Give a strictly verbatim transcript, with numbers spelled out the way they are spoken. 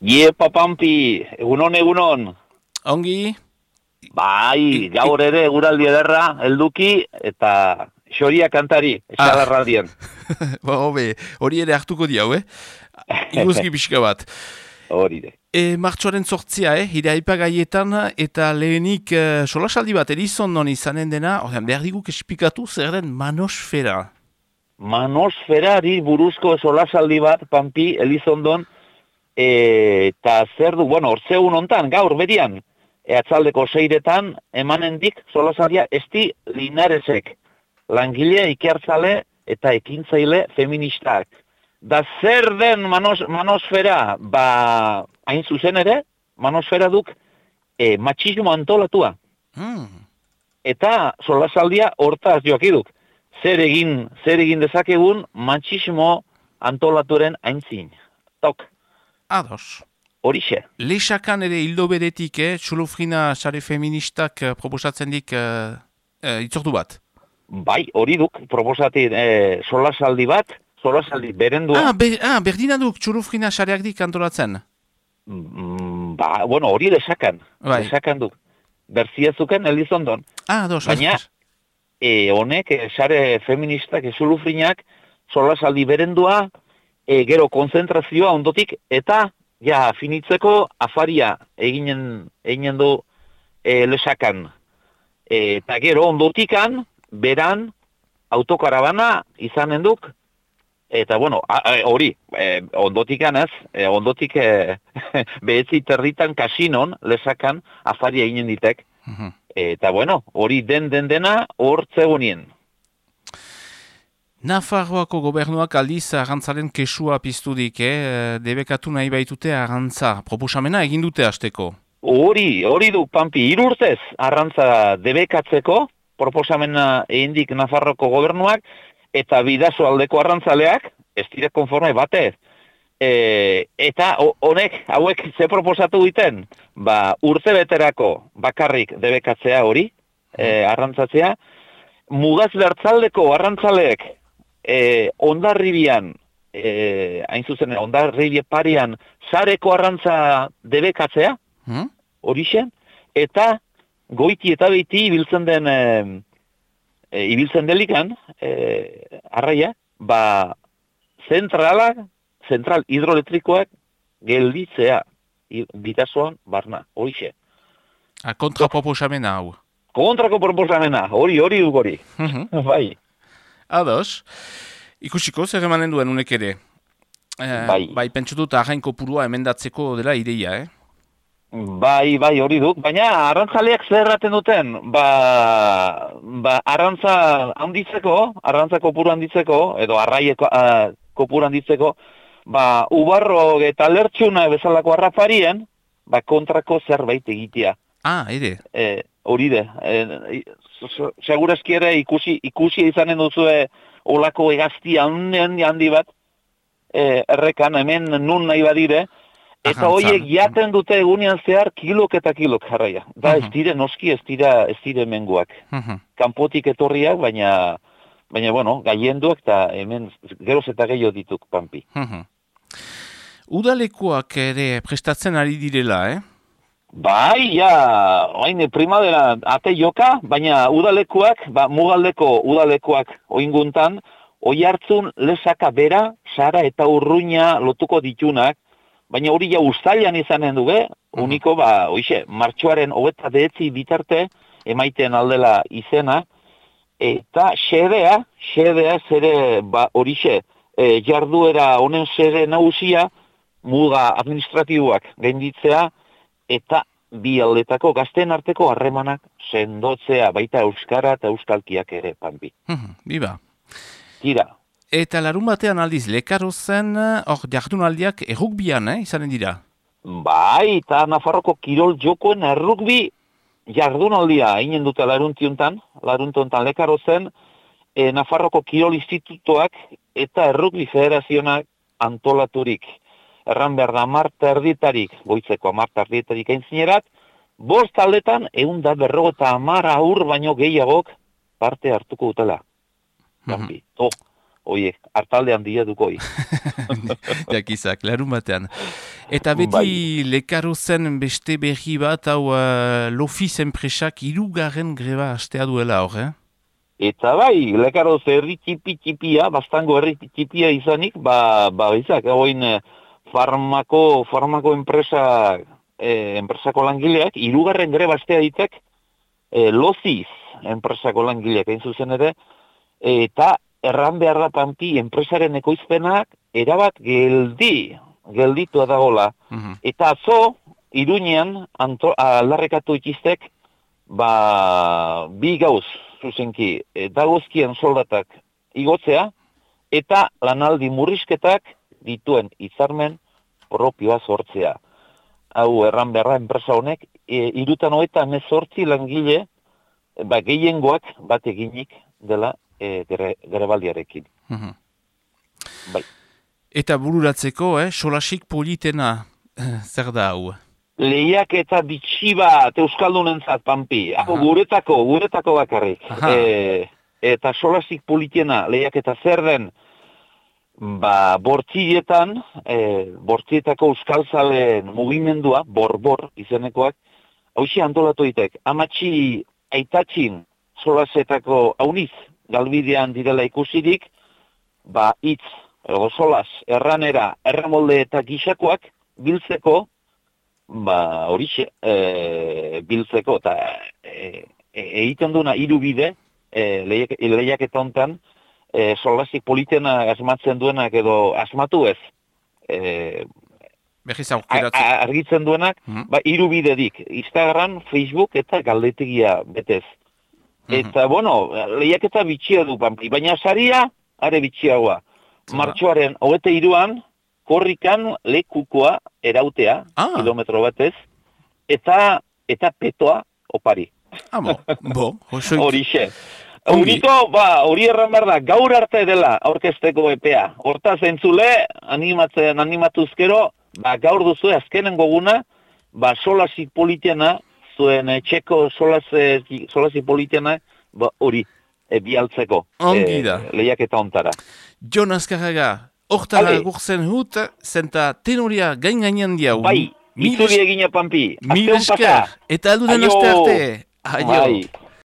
Iepa Pampi, egunon, egunon. Ongi? Bai, gaur ere eguraldi ederra, helduki, eta xoria kantari, esalarraldien. Ba, hobe, hori ere hartuko di hau, eh? Iguzki pixka bat. Hori de. E, martxoaren sortzia, eh? Ire aipagaietan, eta lehenik uh, solasaldi bat Elizondon izanen dena, ordean, behar diguk espikatu zer den manosfera. Manosferari buruzko solasaldi bat, Pampi, Elizondon, e, eta zer du, bueno, ortzegun hontan, gaur berian, e, atzaldeko seiretan, emanendik solasaldia esti Linaresek, langile ikertzale eta ekintzaile feministak. Da zer den manos, manosfera, ba, hain zuzen ere, manosfera duk e, matxismo antolatua. Hmm. Eta solasaldia hortaz joakiduk. Zer egin, zer egin dezakegun matxismo antolaturen aintzin. Tok. Ados. Horixe. Lexakan ere hildo beretik, eh? Txulufrina sare feministak uh, proposatzen dik uh, uh, itzordu bat. Bai, hori duk, proposati e, solasaldi bat, solasaldi berendua. Ah, be, ah berdina duk Txulufrina sareak dik antolatzen. Mm, ba, bueno, hori lesakan. Bai. Lesakan duk. Berziezuken Elizondon. Ah, ados. Baina, e, honek, e, sare feministak, Txulufrinak, solasaldi berendua, e, gero konzentrazioa ondotik, eta, ja, finitzeko afaria eginen, eginen du e, lesakan. E, eta gero ondotikan, beran, autokarabana izanen duk, eta bueno, hori, e, ondotikan ez, e, ondotik e, behetzi territan kasinon, lesakan, afaria eginen ditek. Uh-huh. Eta bueno, hori den den dena, hor zegonien. Nafarroako gobernuak aldiz arrantzaren kesua piztudik, eh? Debekatu nahi baitute arrantza. Proposamena egin dute hasteko. Hori, hori du, Pampi, hiru urtez arrantza debekatzeko, proposamena egindik Nafarroko gobernuak, eta bidaso aldeko arrantzaleak, ez dire konforme batez. E, eta honek, hauek ze proposatu diten, ba, urte beterako bakarrik debekatzea hori, e, arrantzatzea, mugaz bertzaldeko arrantzaleek, e, ondarribian, e, hain zuzen, ondarribie parian, sareko arrantza debekatzea, Hmm? horixen, eta goiti eta beiti ibiltzen den, e, e, ibiltzen delikan, e, arraia, ba, zentralak, zentral hidroelektrikoak gelditzea, bidasoan barna, horixe. A kontra proposamena hau. Kontrako proposamena, hori, hori duk hori. Bai. Ados, ikusiko zer emanen duen unek ere. Eh, bai. Bai, pentsu dut arrain kopurua emendatzeko dela ideia, eh? Bai, bai, hori duk. Baina, arrantzaleak zer erraten duten, ba, ba, arrantza handitzeko, arrantza kopuru handitzeko, edo arraieko uh, kopuru handitzeko, ba, ubarro eta lertxuna bezalako arrafarien, ba, kontrako zerbait egitea. Ah, ere. E, hori de. E, segurazki ere ikusi, ikusi izanen duzue olako egazti handi, handi bat, e, errekan, hemen nun nahi badire, eta horiek jaten dute egunean zehar kilok eta kilok jarraia. Da, ez dire noski, ez dira, ez dire menguak. Uh-huh. Kanpotik etorriak, baina, baina, bueno, gaienduak, eta hemen geroz eta gehiago dituk, Pampi. Uh-huh. Udalekuak ere prestatzen ari direla, eh? Bai, ja, oain primadera ate joka, baina udalekuak, ba, mugaldeko udalekuak oinguntan, oi hartzun lesaka bera, sara eta urruina lotuko ditunak, baina hori ja uztailan izanen duge, uniko, ba, oixe, martxoaren hogeta behetzi bitarte, emaiten aldela izena, eta xedea, xedea zere, ba, horixe, e, jarduera honen xede nagusia, muga administratiboak gainditzea, eta bi aldetako gazten arteko harremanak sendotzea, baita euskara eta euskalkiak ere, Pampi. Uh-huh. Biba. Tira. Eta larun batean aldiz, lekaro zen, hor, jardunaldiak errukbian, eh, izanen dira? Bai, eta Nafarroko kirol jokoen errukbi jardunaldia eginen dute laruntiontan, laruntiontan lekaro zen, e, Nafarroko kirol institutoak eta errukbi federazionak antolaturik. Erran behar da marta erditarik, goitzeko marta erditarik aintzinerat, bost aldetan egun da berrogeta amar aur baino gehiagok parte hartuko dutela. Gambi, mm-hmm. oh. Oie, hartaldean dia dukoi. jakizak, larun batean. Eta beti bai. Lekaro zen beste berri bat, hau uh, Lofiz enpresak hirugarren greba hastea duela hor, eh? Eta bai, Lekaroz herri tipi-tipia, bastango herri tipia izanik, ba, ba izak, hauen farmako, farmako enpresa, eh, enpresako langileak, hirugarren greba hastea ditek, eh, Lofiz enpresako langileak, hain zuzen ere, eta erran behar da Pampi enpresaren ekoizpenak erabat geldi, gelditu dagoela. Mm-hmm. Eta atzo, Iruñean, aldarrekatu ikiztek, ba, bi gauz, zuzenki, e, dagozkien soldatak igotzea, eta lanaldi murrizketak dituen hitzarmen propioa sortzea. Hau, erran beharra enpresa honek, e, irutan hoeta mezortzi langile, ba, gehiengoak bat eginik dela, E, gere, gerebaldiarekin. Mm-hmm. Bai. Eta bururatzeko, eh, solasik politena, zer da hau? Lehiak eta bitxi bat euskaldunentzat, Pampi. Hau, guretako, guretako bakarrik. E, eta solasik politena, lehiak eta zer den, ba, bortzietan, e, bortzietako euskaltzalen mugimendua, bor-bor izenekoak, hauxe antolatu ditek, amatxi aitatxin solasetako hauniz, galbidean direla ikusirik, ba, hitz, edo solas, erranera, erramolde eta gixakoak biltzeko, ba, horixe, e, biltzeko, eta e, e, egiten duna hiru bide, e, lehiak, lehiak eta hontan, e, solasik politena asmatzen duenak edo asmatu ez, e, argitzen duenak, mm-hmm. ba, hiru bidedik, Instagram, Facebook eta galdetegia betez. Eta, mm-hmm. bueno, lehiaketa bitxia du, Pampi, baina saria, are bitxiagoa. Martxoaren hogete iruan, korrikan lekukoa erautea, ah. kilometro batez, eta eta petoa opari. Ah, bo, bo, hoxoik. Horixe. Horiko, ba, hori erran behar da, gaur arte dela aurkezteko epea. Hortaz entzule, animatzen, animatuzkero, ba, gaur duzu azkenengo guna, ba, solasik politiana, zuen e, txeko solasi politiana, ba, hori, e, bialtzeko. Ongi da. E, lehiak eta ontara. Jon Azkarraga, hortara gurtzen hut, zenta tenoria gain gainan diau. Bai, itzuli egina, Pampi. Mil esker, eta aldunen aste arte. Aio. Bai.